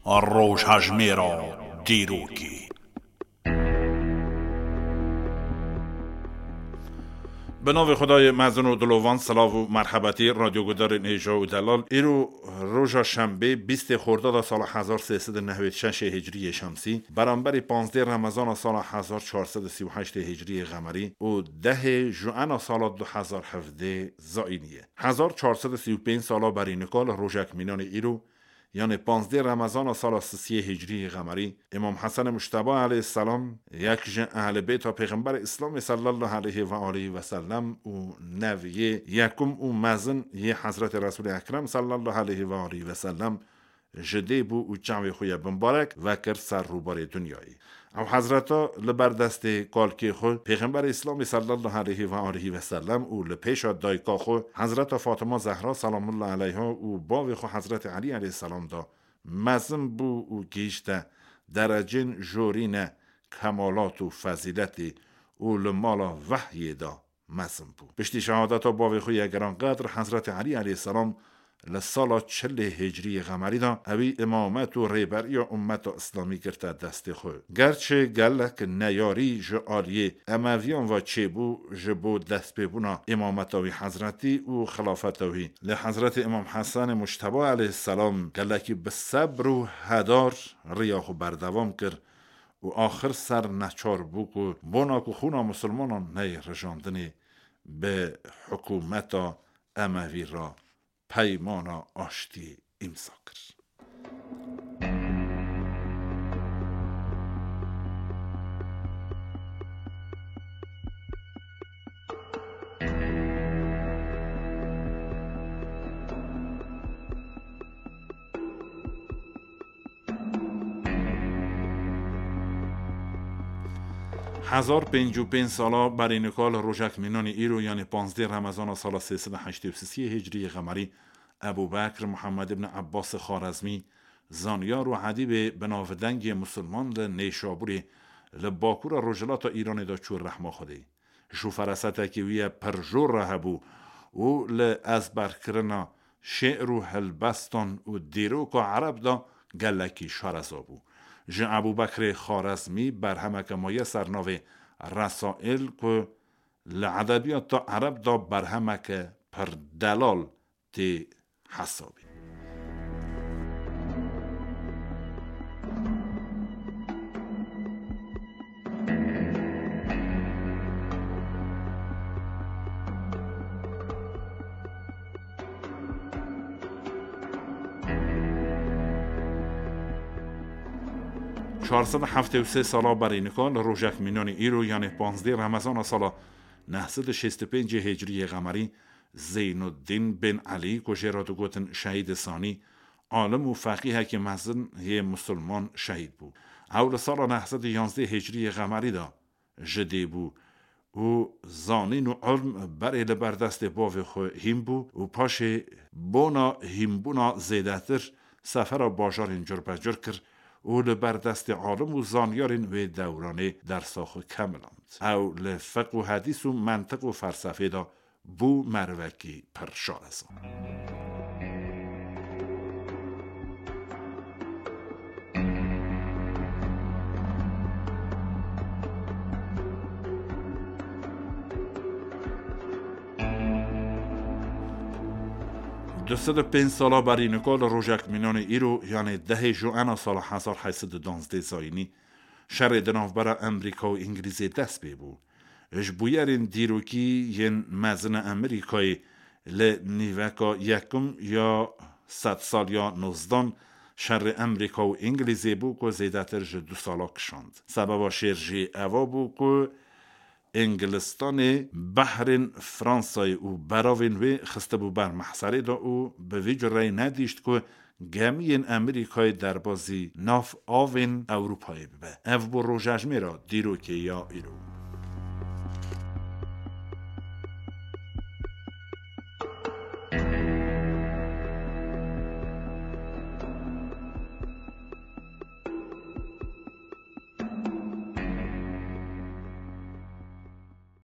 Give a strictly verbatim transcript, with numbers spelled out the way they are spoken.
Rojhejmêra dîrokê. Bi navê Xwedayê mezin û dilovan, silav û merhebetî radyogudarên hêja û delal. Îro roja şembê, bîstê Xordada sala hezar sê sed û nehwêd şeşê Hicriyê Şemsî, beramberî panzdê Remezana sala hezar çar sed û sî û heştê Hicriyê Xemerî û dehê Juena sala du hezar hevdê Zayînî ye. Hezar çar sed û sî û pênc sala berî nika li rojek mînanê îro, yanê panzdê Remezana sala sisiyê Hicriyê Xemerî, Îmam Hesen Mujteba aleyhisselam, yek ji Ehlê Beyta Pêxemberê Îslamê sallallahu aleyhi ve aleyhi ve sellem û nev yê yekum û mezin yê Hezretê Resulê Ekrem sallallahu aleyhi ve aleyhi ve sellem, ji dê bû û çavê xwe yê bimbarek vekir ser rûbarê dinyayê. Ew hezreta li ber destê kalkê xwe, Pêxemberê Îslamê sallallahu aleyhi ve aleyhi ve sellem û li pêşa dayika xwe, Hezreta Fatima Zehra selamullah aleyha û bavê xwe Hezretê Elî aleyhisselam da mezin bû û gihîşte derecên jorîne kemalat û fezîletê û li mala vehyê de mezin bû. Piştî şehadeta bavê xwe yê giranqedr Hezretê Elî aleyhisselam li sala çilê Hicriyê Xemerî de ewî îmamet û rêberiya ummeta Îslamî girte destê xwe. Gerçi gelek neyarî ji aliyê Emeviyan ve çêbû ji bo destpêbûna îmameta wî Hezretî û xilafeta wî, lê Hezretê Îmam Hesenê Mujteba aleyhisselam gelekî bi sebr û hedar riya xwe berdewam kir û axir ser neçar bû ku bona ku xûna misilmanan neyê rijandinê, bi hikûmeta Emevî re peymana aştiyê îmza kir. Hezar pêncî û pênc sala berî nika li rojek mînanî îro, yanê panzdê Remezana sala sê sed û heştê û sisiyê Hicriyê Xemerî, Ebû Bekr Muhammed ibn Ebbasê Xarezmî, zanyar û edîbê binavdengê misilman li Nêşabûrê, li bakûra rojhilata Îranê de çû rehma Xwedê. Ji ferasetekî wî ye pir jor re hebû û li ezberkirina şê'r û helbestan û dîroka ereb de gelekî şareza bû. Ji Ebû Bekrê Xarezmî berhemeke maye ser navê Resail ku li edebiyata ereb de berhemeke pir delal tê hesabê. Çar sed û heftê û sê sala berî nika li rojek mînanî îro, yanê panzdê Remezana sala neh sed û şêst û pêncê Hicriyê Xemerî, Zeynuddin bin Elî, ku jê re digotin Şehîdê Sanî, alim û feqîhekî mezin yê misilman şehîd bû. Ew li sala neh sed û yanzdeh Hicriyê Xemerî de ji dê bû û zanîn û ilm berê li ber destê bavê xwe hîn bû û paşê bona hînbûna zêdetir sefera bajarên curbecur kir û li ber destê alim û zanyarên wê dewranê dersa xwe kemiland. Ew li fiq û hedîs û mentiq û felsefê de bû merivekî pir şareza. Du sed û pênc sala berî nika li rojek mînanê îro, yanê dehê Joena sala hezar heyt sed û duwazdeh zayînî, şerê di navbera Emerîka û Îngilîzê dest pê bû. Ji bûyerên dîrokî yên mezin a Emerîkayê li nîveka yekim ya sedsaliya nozdan şerê Emerîka û Îngilîzê bû ku zêdetir ji du sala kişand. Sebeba şer jî eva bû ku Îngilistanê behrên Fransayê û beravên wê xistibû ber mehserê de û bi vî cureyê nedîşt ku gemiyên Emerîkayê derbazî nav avên Ewropayê bibe. Ev bû rojejmêra dîrokê ya îro.